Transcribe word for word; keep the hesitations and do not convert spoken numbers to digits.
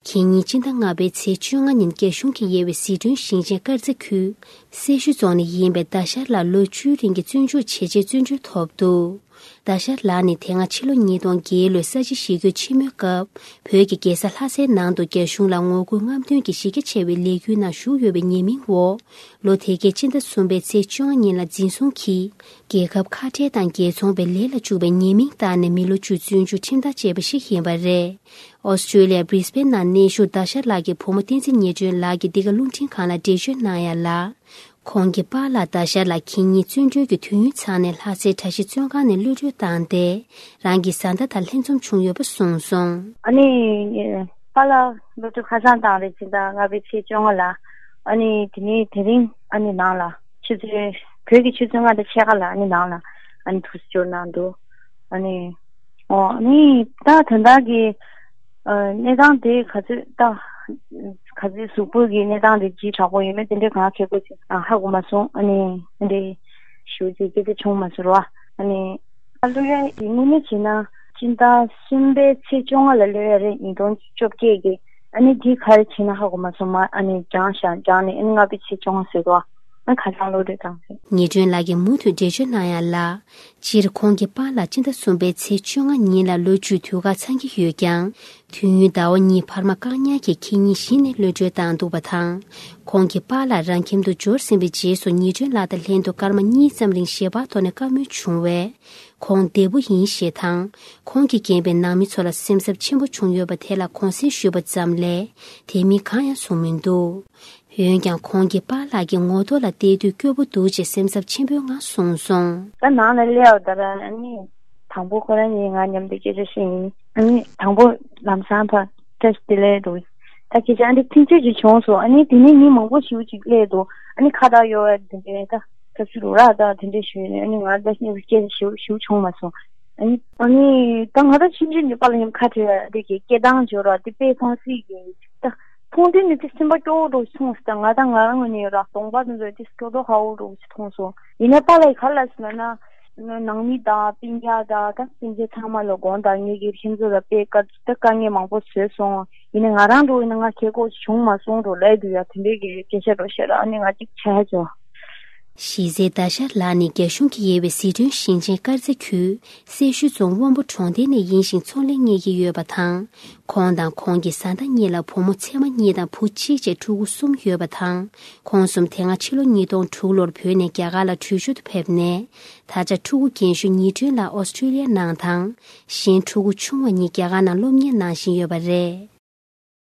ཁེ་ཉིན་སྤྱི་ཟླ་ལྔ་པའི་ཚེས་བཅོ་ལྔ་ཉིན་རྒྱ་གཞུང་གིས་དབྱེ་བའི་ཟི་ཁྲོན་ཞིང་ཆེན་དཀར་མཛེས་ཁུལ་སེར་ཤུལ་རྫོང་ནས་ཡིན་པའི་ཟླ་ཤར་ལགས་ལོ་བཅུའི་རིང་གི་བཙོན་འཇུག་བྱས་རྗེས་བཙོན་གྲོལ་ཐོབ་འདུག་ཟླ་ཤར་ལགས་ནི་དེ་སྔ་ཕྱི་ལོ་ཉིས་སྟོང་བརྒྱད་ལོའི་ས་བྱི་ཞི་རྒོལ་ཆེན་མོའི་སྐབས་བོད་ཀྱི་རྒྱལ་ས་ལྷ་སའི་ནང་དུ་རྒྱ་གཞུང་ལ་ངོ་རྒོལ་རྔམ་སྟོན་གྱི་གཞི་རྒྱ་ཆེ་བའི་ལས་འགུལ་ནང་ཞུགས་ཡོད་པའི་ཉེས་མིང་འོག་ལོ་དེ་གའི་སྤྱི་ཟླ་གསུམ་པའི་ཚེས་བཅོ་ལྔ་ཉིན་ལ་འཛིན་བཟུང་གིས་རྒྱལ་ཁབ་ཁ་བྲལ་དང་རྒྱལ་ཚོང་པའི་ལས་ལ་བཅུག་པའི་ཉེས་མིང་བཏགས་ནས་མི་ལོ་བཅུ་བཙོན་འཇུག་ཁྲིམས་ཐག་བཅད་པ་ཞིག་ཡིན་པ་རེད། ཨོ་སི་ཀྲོ་ལི་ཡ་Brisbane་ནང་གནས་བཞུགས་ཟླ་ཤར་ལགས་ཀྱི་བུ་མོ་བསྟན་འཛིན་ཉི་སྒྲོན་ལགས་ཀྱིས་འདི་ག་རླུང་འཕྲིན་ཁང་ལ་འགྲེལ་བརྗོད་གནང་ཡ་ལ། ཁོང་གི་པཱ་ལགས་ཟླ་ཤར་ལགས་ཁེ་ཉིན་བཙོན་གྲོལ་གྱི་དུས་ཡུན་ཚང་ནས་ལྷ་སའི་གྲྭ་བཞི་བཙོན་ཁང་ནས་གློད་གྲོལ་བཏང་སྟེ། རང་གི་བཟའ་ཟླ་དང་ལྷན་འཛོམས་བྱུང་ཡོད་པ་གསུངས་སོང་། ཨ་ནི། པཱ་ལགས་གློད་གྲོལ་ཁ་སང་བཏང་རེད། སྤྱི་ཟླ་ལྔ་པའི་ཚེས་བཅོ་ལྔ་ལ། ཨ་ནི་དེ་ནས་དེ་རིང་ཨ་ནི་ནང་ལ་ཆུ་ཚོད་བོད་ཀྱི་ཆུ་ཚོད་ལྔ་དང་ཕྱེད་ཀ་ལ་ཨ་ནི་ནང་ལ་ཨ་ནི་ཐུགས་སྐྱོར་གནང་འདུག་ཨ་ནི། ཨོ་ཨ་ནི་ད་དོན་དག་གི་ཨ་གནས་སྟངས་དེ་ག་ཚོད་ད་ག་ཚོད་གཟུགས་པོ་གི་གནས་སྟངས་དེ་ལྗིད་དྲག་པོ་ཡོད་མེད་དེ་འདྲའི་གང་ཁེ་པོ་ཅིག་ཨ་ཧ་གོ་མ་སོང་། ཨ་ནི་དེ་འདྲའི་ཞུ་རྒྱུ་སྐད་ཆ་བྱུང་མ་སོང་ར། ཨ་ནི་ཨ་གློད་ཡ་ཡིན་དངོས་གནས་བྱས་ན་སྤྱི་ཟླ་གསུམ་པའི་ཚེས་བཅོ་ལྔ་ལ་གློད་ཡ་རེད། ཉིས་སྟོང་བཅོ་བརྒྱད་ཀྱི། ཨ་ནི་དེ་ག་རེ་བྱས་ན་ཧ་གོ་མ་སོང་། མ་ཨ་ནི་སྦྱངས་ཤག་སྦྱངས་ནས་ཨ་ནི་ལྔ་པའི་ཚེས་བཅོ་ལྔ་ཟེར་དོ། ཨ་ཁ་སང་གློད་གྲོལ་བཏང་ཟེར། ཉི་སྒྲོན་ལགས་ཀྱིས་མུ་མཐུད་འགྲེལ་བརྗོད་གནང་ཡ་ལ། སྤྱིར་ཁོང་གི་པཱ་ལགས་སྤྱི་ཟླ་གསུམ་པའི་ཚེས་བཅོ་ལྔ་ཉིན་ལ་ལོ་བཅུའི་དུས་བཀག་ཚང་གི་ཡོད་ཀྱང་། དུས་ཡུན་ཟླ་བ་གཉིས་འཕར་མ་བཀག་ཉར་གྱིས་ཁེ་ཉིན་གཞི་ནས་གློད་གྲོལ་བཏང་འདུག་པ་དང་། ཁོང་གི་པཱ་ལགས་རང་ཁྱིམ་དུ་འབྱོར་ཟིན་པའི་རྗེས་སུ་ཉི་སྒྲོན་ལགས་དང་ལྷན་དུ་སྐར་མ་གཉིས་ཙམ་རིང་ཞལ་པར་ཐོག་ནས་བཀའ་མོལ་བྱུང་བས། ཁོང་བདེ་པོ་ཡིན་ཞེས་དང་། ཁོང་གིས་རྒན་པའི་ནང་མི་ཚོ་ལ་སེམས་འཚབ་ཆེན་པོ་བྱུང་ཡོད་པ་དེ་ལ་གུང་སེང་ཞུས་པ་ཙམ་ལས། དེ་མིན་གང་ཡང་གསུངས་མི་འདུག་འོན་ཀྱང་ཁོང་གི་པཱ་ལགས་ཀྱི་ངོ་ཐོག་ལ་བལྟས་དུས་སྐྱོ་པོ་འདུག་ཅེས་སེམས་འཚབ་ཆེན་པོའི་ངང་གསུངས་སོང་། ད་ནང་ལ་སླེབས་པ་ད་ར་ཨ་ནི་དང་པོ་ཁོ་རང་གཉིས་ང་མཉམ་དུ་སྐད་ཆ་བཤད་ཡིན། ཨ་ནི་དང་པོ་ལམ་སང་ཕར་བཀྲ་ཤིས་བདེ་ལེགས་འདུག་ད་སྐད་ཆ་ཨ་འདི་ཐེངས་གཅིག་ཅིག་བྱུང་སོང་། ཨ་ནི་དེ་ནས་མི་མང་པོ་ཞིག་ཅིག་སླེབས་འདུག་ཨ་ནི་ཁ་བཏགས་གཡོ་བ་དེ་འདྲའི་ད་ཐབས་ཤེས་རུ་ར་ད་དེ་འདྲའི་ཞུས་ནས་ཨ་ནི་ང་ད་སྐད་ཆ་ཞིག་ཞིག་བྱུང་མ་སོང་། ཨ་ནི་ཨ་ནི་ད་ང་ད་ཕྱིན་ཆད་ནི་པཱ་ལགས་མཉམ་ཁ་བྲལ་བ་དེ་གི་སྐད་གདངས་འཇོར་བ་དེ་དཔེ་ཕངས་སྲིད་ཀྱི་ད་མཐོང་དུས་ནི་དེ་སེམས་པ་སྐྱོ་བོ་འདྲ་ཞིག་མཐོང་སོང་། ད་ང་ད་ང་རང་ངོས་ནས་ར་གདོང་པ་དེ་ཚོ་དེ་སྐྱོ་བོ་ཁ་བོ་འདྲ་ཞིག་མཐོང་སོང་། ཡིན་ནའི་པཱ་ལགས་ག་ལ་ཟེར་ན་ནང་མི་དང་སྤུན་ཀྱག་དང་ད་སྤུན་མཆེད་ཚང་མ་ལ་དགོངས་དག་ངེད་ཀྱི་ཁྱིམ་ཚང་ལ་དཔེ་དཀའ་ད་དཀའ་ངལ་མང་པོ་བཟོས་སོང་། ཡིན་ནའི་ང་རང་འདྲ་ཡིན་ན་ང་ཁེ་གོ་བྱུང་མ་སོང་འགྲོ་ལས་དུ་ཡ་དེ་འདྲའི་གི་སྐད་ཆ་འགྲོ་བཤད་ར་ཨ་ནི་ང་གཅིག་ཆ་ཡ་ཆོ། གཞི་རྩའི་ཟླ་ཤར་ལགས་ནི་རྒྱ་གཞུང་གིས་དབྱེ་བའི་ཟི་ཁྲོན་ཞིང་ཆེན་དཀར་མཛེས་ཁུལ་སེར་ཤུལ་རྫོང་དབོན་པོ་གྲོང་རྡལ་ནས་ཡིན་ཞིང་ཚོང་ལས་གཉེར་གྱི་ཡོད་པ་དང་། ཁོང་དང་ཁོང་གི་བཟའ་ཟླ་གཉིས་ལ་བུ་མོ་མཚེ་མ་གཉིས་དང་བུ་གཅིག་བཅས་ཕྲུ་གུ་གསུམ་ཡོད་པ་དང་། ཁོང་གསུམ་དེ་སྔ་ཕྱི་ལོ་ཉིས་སྟོང་དྲུག་ལོར་བོད་ནས་རྒྱ་གར་ལ་བྲོས་བྱོལ་དུ་ཕེབས་ནས། ད་ཆ་ཕྲུ་གུ་རྒན་ཤོས་ཉི་སྒྲོན་ལགས་ཨོ་སི་ཀྲོ་ལི་ཡ་ནང་དང་། གཞན་ཕྲུ་གུ་ཆུང་བ་གཉིས་རྒྱ་གར་ནང་སློབ་གཉེར་གནང་བཞིན་ཡོད་པ་རེད།